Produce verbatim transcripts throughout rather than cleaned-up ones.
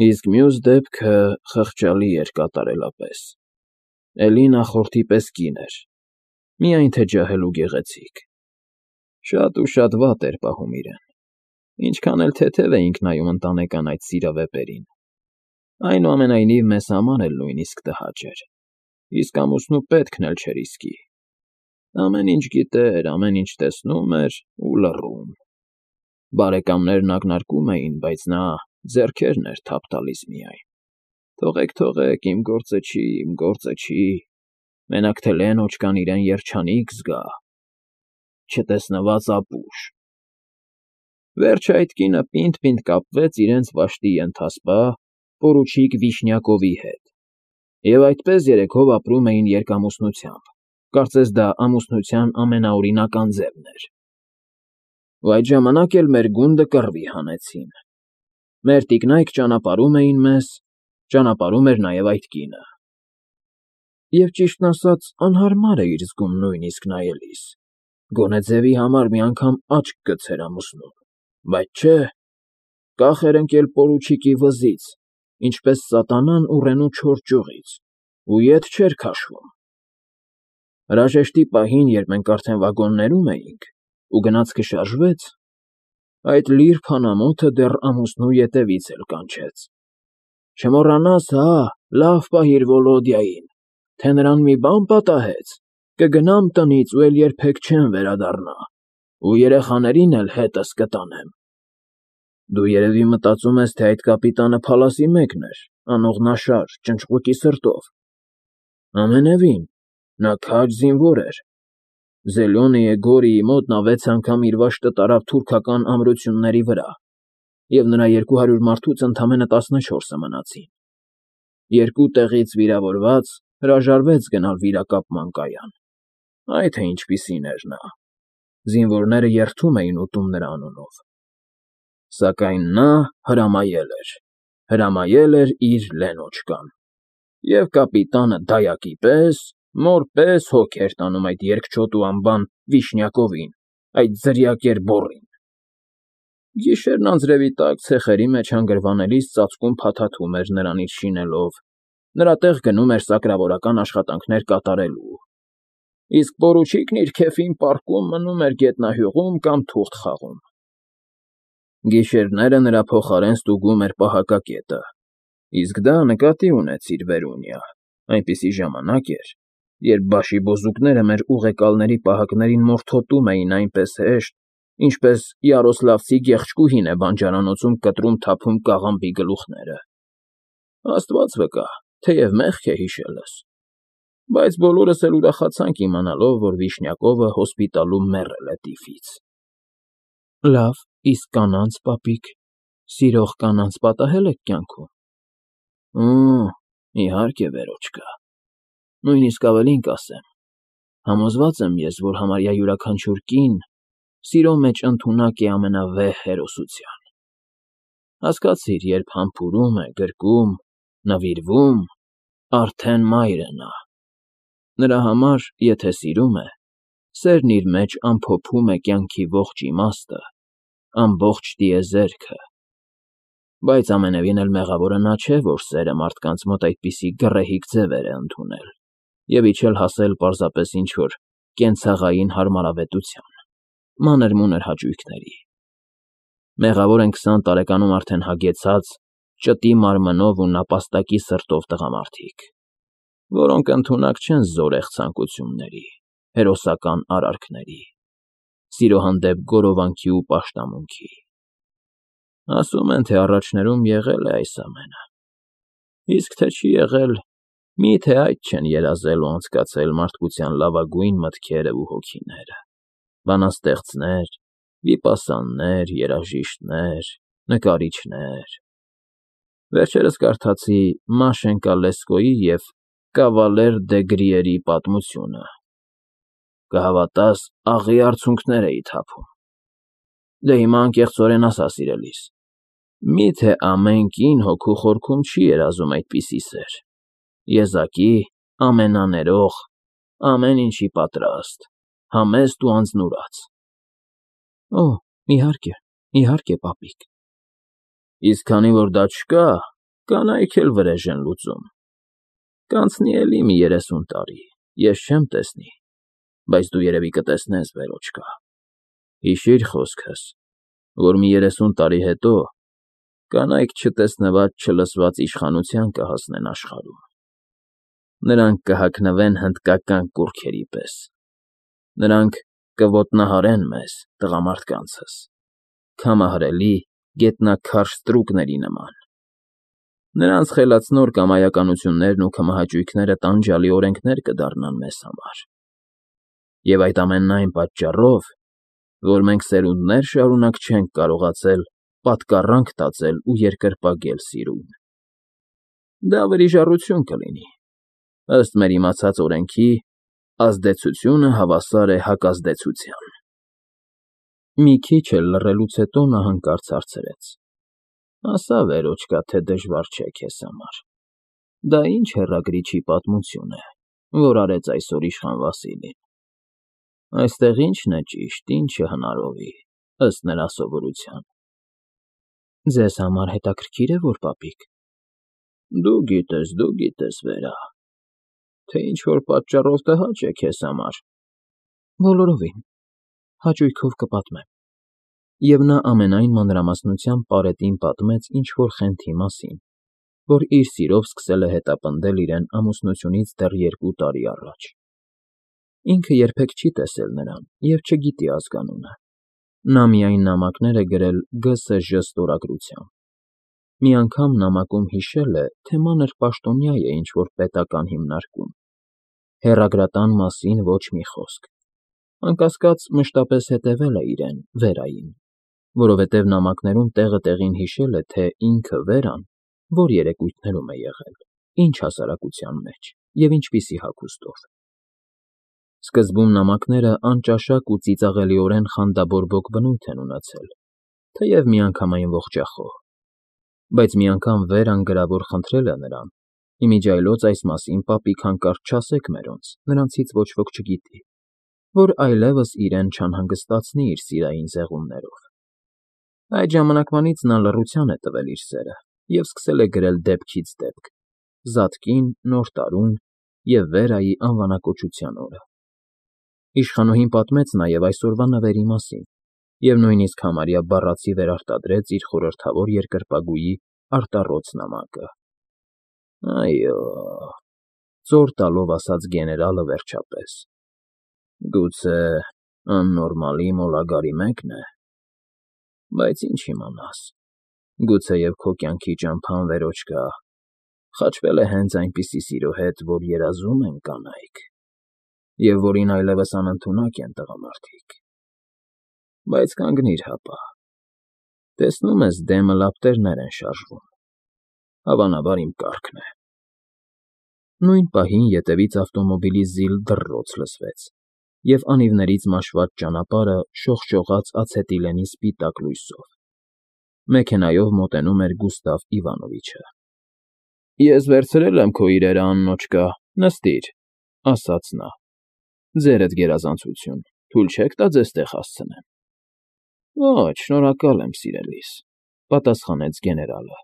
Իսկ մյուս դեպքը խղճալի էր կատարելապես, էլի նախորդի պես կին էր, միայն թե ջահել ու գեղեցիկ, շատ ու շատ վատ էր պահում իրեն, ինչքան էլ թեթև էինք նայում ընտանեկան այդ սիրավեպերին, այնուամենայնիվ մեզ համար էլ նույնիսկ տհաճ էր, իսկ ամուսնու պետքն էլ չէր իսկի, ամեն ինչ գիտեր, ամեն ինչ տեսնում էր ու լռում, բարեկամներն ակնարկում էին, բայց նա ձեռքերն էր թափ տալիս միայն, թողեք, թողեք, իմ գործը չի, իմ գործը չի, մենակ թե Լենոչկան իրեն երջանիկ զգա, չտեսնված ապուշ։ Վերջը այդ կինը պինդ֊պինդ կապվեց իրենց վաշտի ենթասպա պորուչիկ Վիշնյակովի հետ, և այդպես երեքով ապրում էին երկամուսնությամբ, կարծես դա ամուսնության ամենաօրինական ձևն էր։ Ու այդ ժամանակ էլ մեր գունդը կռվի հանեցին, մեր տիկնայք ճանապարհում էին մեզ, ճանապարհում էր նաև այդ կինը։ Եվ ճիշտն ասած անհարմար էիր զգում նույնիսկ նայելիս, գոնե ձևի համար մի անգամ աչք գցեր ամուսնուն, բայց չէ, կախ էր ընկել պորուչիկի վզից, ինչպես սատանան ուռենու չոր ճյուղից, ու ետ չէր քաշվում։ Հրաժեշտի պահին, երբ մենք արդեն վագոններում էինք, ու գնացքը շարժվեց, այդ լիր փանամոթը դեռ ամուսնու ետևից էլ կանչեց. «Չմոռանաս, հա, լավ պահիր Վոլոդյային, թե նրան մի բան պատահեց, կգնամ տնից ու էլ երբեք չեմ վերադառնա, ու երեխաներին էլ հետս կտանեմ»։ Դու երևի մտածում ես, թե այդ կապիտանը փալասի մեկն էր, անողնաշար, ճնճղուկի սրտով։ Ամենևին, նա քաջ զինվոր էր, Զելյոնեյե Գորիի մոտ նա վեց անգամ իր վաշտը տարավ թուրքական ամրությունների վրա, և նրա երկու հարյուր մարդուց ընդամենը տասնչորսը մնացին։ Երկու տեղից վիրավորված հրաժարվեց գնալ վիրակապման կայան։ Այ թե ինչպիսին էր նա, զինվորները երդում էին ուտում նրա անունով։ Սակայն նա հրամայել էր, հրամայել էր իր Լենոչկան, և կապիտանը դայակի պես, մոր պես հոգ էր տանում այդ երկչոտ ու անբան Վիշնյակովին, այդ ձրիակեր բոռին։ Գիշերն անձրևի տակ ցեխերի մեջ հանգրվանելիս ծածկում փաթաթում էր նրանից շինելով, նրա տեղ գնում էր սակրավորական աշխատանքներ կատարելու, իսկ պորուչիկն իր քեֆին պառկում մնում էր գետնահյուղում կամ թուղթ խաղում։ Գիշերները նրա փոխարեն ստուգում էր պահակակետը, իսկ դա նկատի ունեցիր, Վերունյա, այնպիսի ժամանակ էր, երբ բաշիբոզուկները մեր ուղեկալների պահակներին մորթոտում էին այնպես հեշտ, ինչպես յարոսլավցի գեղչկուհին է բանջարանոցում կտրում թափում կաղամբի գլուխները։ Աստված վկա, թեև մեղք է հիշելս, բայց բոլորս էլ ուրախացանք իմանալով, որ Վիշնյակովը հոսպիտալում մեռել է տիֆից։ Լավ, իսկ կանանց, պապիկ, սիրող կանանց պատահե՞լ եք կյանքում։ Օ, իհարկե, Վերոչկա, նույնիսկ ավելին կասեմ, համոզված եմ ես, որ համարյա յուրաքանչյուր կին սիրո մեջ ընդունակ է ամենավեհ հերոսության։ Հասկացիր, երբ համբուրում է, գրկում, նվիրվում, արդեն մայր է նա։ Նրա համար, եթե սիրում է, սերն իր մեջ ամփոփում է կյանքի ողջ իմաստը, ամբողջ տիեզերքը։ Բայց ամենևին էլ մեղավորը նա չէ, որ սերը մարդկանց մոտ այդպիսի գռեհիկ ձևեր է ընդունել և իջել հասել պարզապես ինչ֊որ կենցաղային հարմարավետության, մանր֊մունր հաճույքների։ Մեղավոր են քսան տարեկանում արդեն հագեցած, ճտի մարմնով ու նապաստակի սրտով տղամարդիկ, որոնք ընդունակ չեն զորեղ ցանկությունների, հերոսական արարքների, սիրո հանդեպ գոռովանքի ու պաշտամունքի։ Ասում են, թե առաջներում եղել է այս ամենը, իսկ թե չի եղել, մի՞թե այդ չեն երազել ու անցկացել մարդկության լավագույն մտքերը ու հոգիները, բանաստեղծներ, վիպասաններ, երաժիշտներ, նկարիչներ։ Վերջերս կարդացի Մաշենկա Լեսկոյի և Կավալեր դե Գրիերի պատմությունը, կհավատաս, աղի արցունքներ էի թափում։ Դե հիմա անկեղծորեն ասա, սիրելիս, մի՞թե ամեն կին հոգու խորքում չի երազում այդպիսի սեր, եզակի, ամենաներող, ամեն ինչի պատրաստ, համեստ ու անձնուրաց։ Օ, իհարկե, իհարկե, պապիկ։ Իսկ քանի որ դա չկա, Կանայք էլ վրեժ են լուծում։ Կանցնի էլի մի երեսուն տարի, ես չեմ տեսնի, բայց դու երևի կտեսնես, վերոջկա, հիշիր խոսքս, որ մի երեսուն տարի հետո կանայք չտեսնված չլսված իշխանության կհասնեն աշխարհում։ Նրանք կհագնվեն հնդկական կուռքերի պես, նրանք կոտնահարեն մեզ, տղամարդկանցս, քամահարելի, գետնաքարշ ստրուկների նման։ Նրանց խելացնոր կամայականություններն ու քմահաճույքները տանջալի օրենքներ կդառնան մեզ համար։ Եվ այդ ամենն այն պատճառով, որ մենք սերունդներ շարունակ չենք կարողացել պատկառանք տածել ու երկրպագել սիրուն։ Դա վրիժառություն կլինի, ըստ մեր իմացած օրենքի, ազդեցությունը հավասար է հակազդեցության։ Մի քիչ էլ լռելուց հետո նա հանկարծ հարցրեց. ասա, վերոջկա, թե դժվար չէ քեզ համար։ Դա ինչ հեռագրիչի պատմություն է, որ արեց այսօր իշխան Վասիլին։ Այստեղ ի՞նչն է ճիշտ, ինչը հնարովի, ըստ նրա սովորության։ Ձեզ համար հետաքրքիր է, որ պապիկ։ Դու գիտես, դու գիտես, Վերա, թե ինչ-որ պատճառով տհաճ է քեզ համար։ Բոլորովին, հաճույքով կպատմեմ։ Եվ նա ամենայն մանրամասնությամբ պարետին պատմեց ինչ-որ խենթի մասին, որ իր սիրով սկսել է հետապնդել իրեն ամուսնությունից դեռ երկու տարի առաջ։ Ինքը երբեք չի տեսել նրան և չգիտի ազգանունը։ Նա միայն նամակներ է գրել Գ Ս Ժ ստորագրությամբ։ Մի անգամ նամակում հիշել է, թե մանր պաշտոնյա է ինչ֊որ պետական հիմնարկում։ Հեռագրատան մասին ոչ մի խոսք։ Անկասկած, մշտապես հետևել է իրեն, Վերային, որովհետև նամակներում տեղը տեղին հիշել է, թե ինքը, Վերան, որ երեկույթներում է եղել, ինչ հասարակության մեջ և ինչպիսի հագուստով։ Սկզբում նամակները անճաշակ ու ծիծաղելիորեն խանդաբորբոք բնույթ են ունեցել, թեև միանգամայն ողջախոհ։ Բայց մի անգամ Վերան գրավոր խնդրել է նրան. «Իմիջիայլոց այս մասին, պապիկ, հանկարծ չասեք մերոնց, նրանցից ոչ ոք չգիտի, որ այլևս իրեն չանհանգստացնի իր սիրային զեղումներով»։ Այդ ժամանակվանից նա լռության է տվել իր սերը և սկսել է գրել դեպքից դեպք, Զատկին, Նոր տարուն և Վերայի անվանակոչության օրը։ Իշխանուհին պատմեց նաև այսօրվա նվերի մասին և նույնիսկ համարյա բառացի վերարտադրեց իր խորհրդավոր երկրպագուի արտառոց նամակը։ Այո, ծոր տալով ասաց գեներալը վերջապես, գուցե աննորմալի մոլագարի մեկն է, բայց ինչ իմանաս, գուցեև քո կյանքի ճամփան, Վերոջկա, խաչվել է հենց այնպիսի սիրո հետ, որ երազում են կանայք, և որին այլևս անընդունակ են տղամարդիկ։ Բայց կանգնիր հապա, տեսնում ես, դեմը լապտերներ են շարժվում, հավանաբար իմ կառքն է։ Նույն պահին ետևից ավտոմոբիլի զիլ դռռոց լսվեց, և անիվներից մաշված ճանապարհը շողշողաց ացետիլենի սպիտակ լույսով։ Մեքենայով մոտենում էր Գուստավ Իվանովիչը։ Ես վերցրել եմ քո իրերը, Աննոչկա, նստիր, ասաց նա։ Ձերդ գերազանցություն, թույլ չեք տա ձեզ տեղ հասցնեմ։ Ոչ, շնորհակալ եմ, սիրելիս, պատասխանեց գեներալը։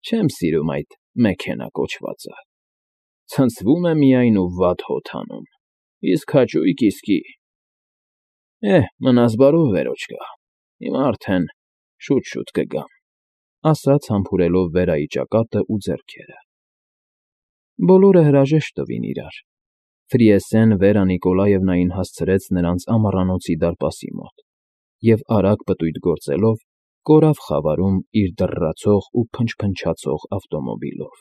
Չեմ սիրում այդ մեքենա կոչվածը։ Ցնցվում է միայն ու վատ հոտ հանում, իսկ հաճույք իսկի։ Էհ, մնաս բարով, Վերոջկա, հիմա արդեն շուտ֊շուտ կգամ, ասաց համբուրելով Վերայի ճակատն ու ձեռքերը։ Բոլորը հրաժեշտ տվին իրար։ Ֆրիեսեն Վերա Նիկոլաևնային հասցրեց նրանց ամառանոցի դարպասի մոտ և արագ պտույտ գործելով կորավ խավարում իր դռռացող ու փնչփնչացող ավտոմոբիլով։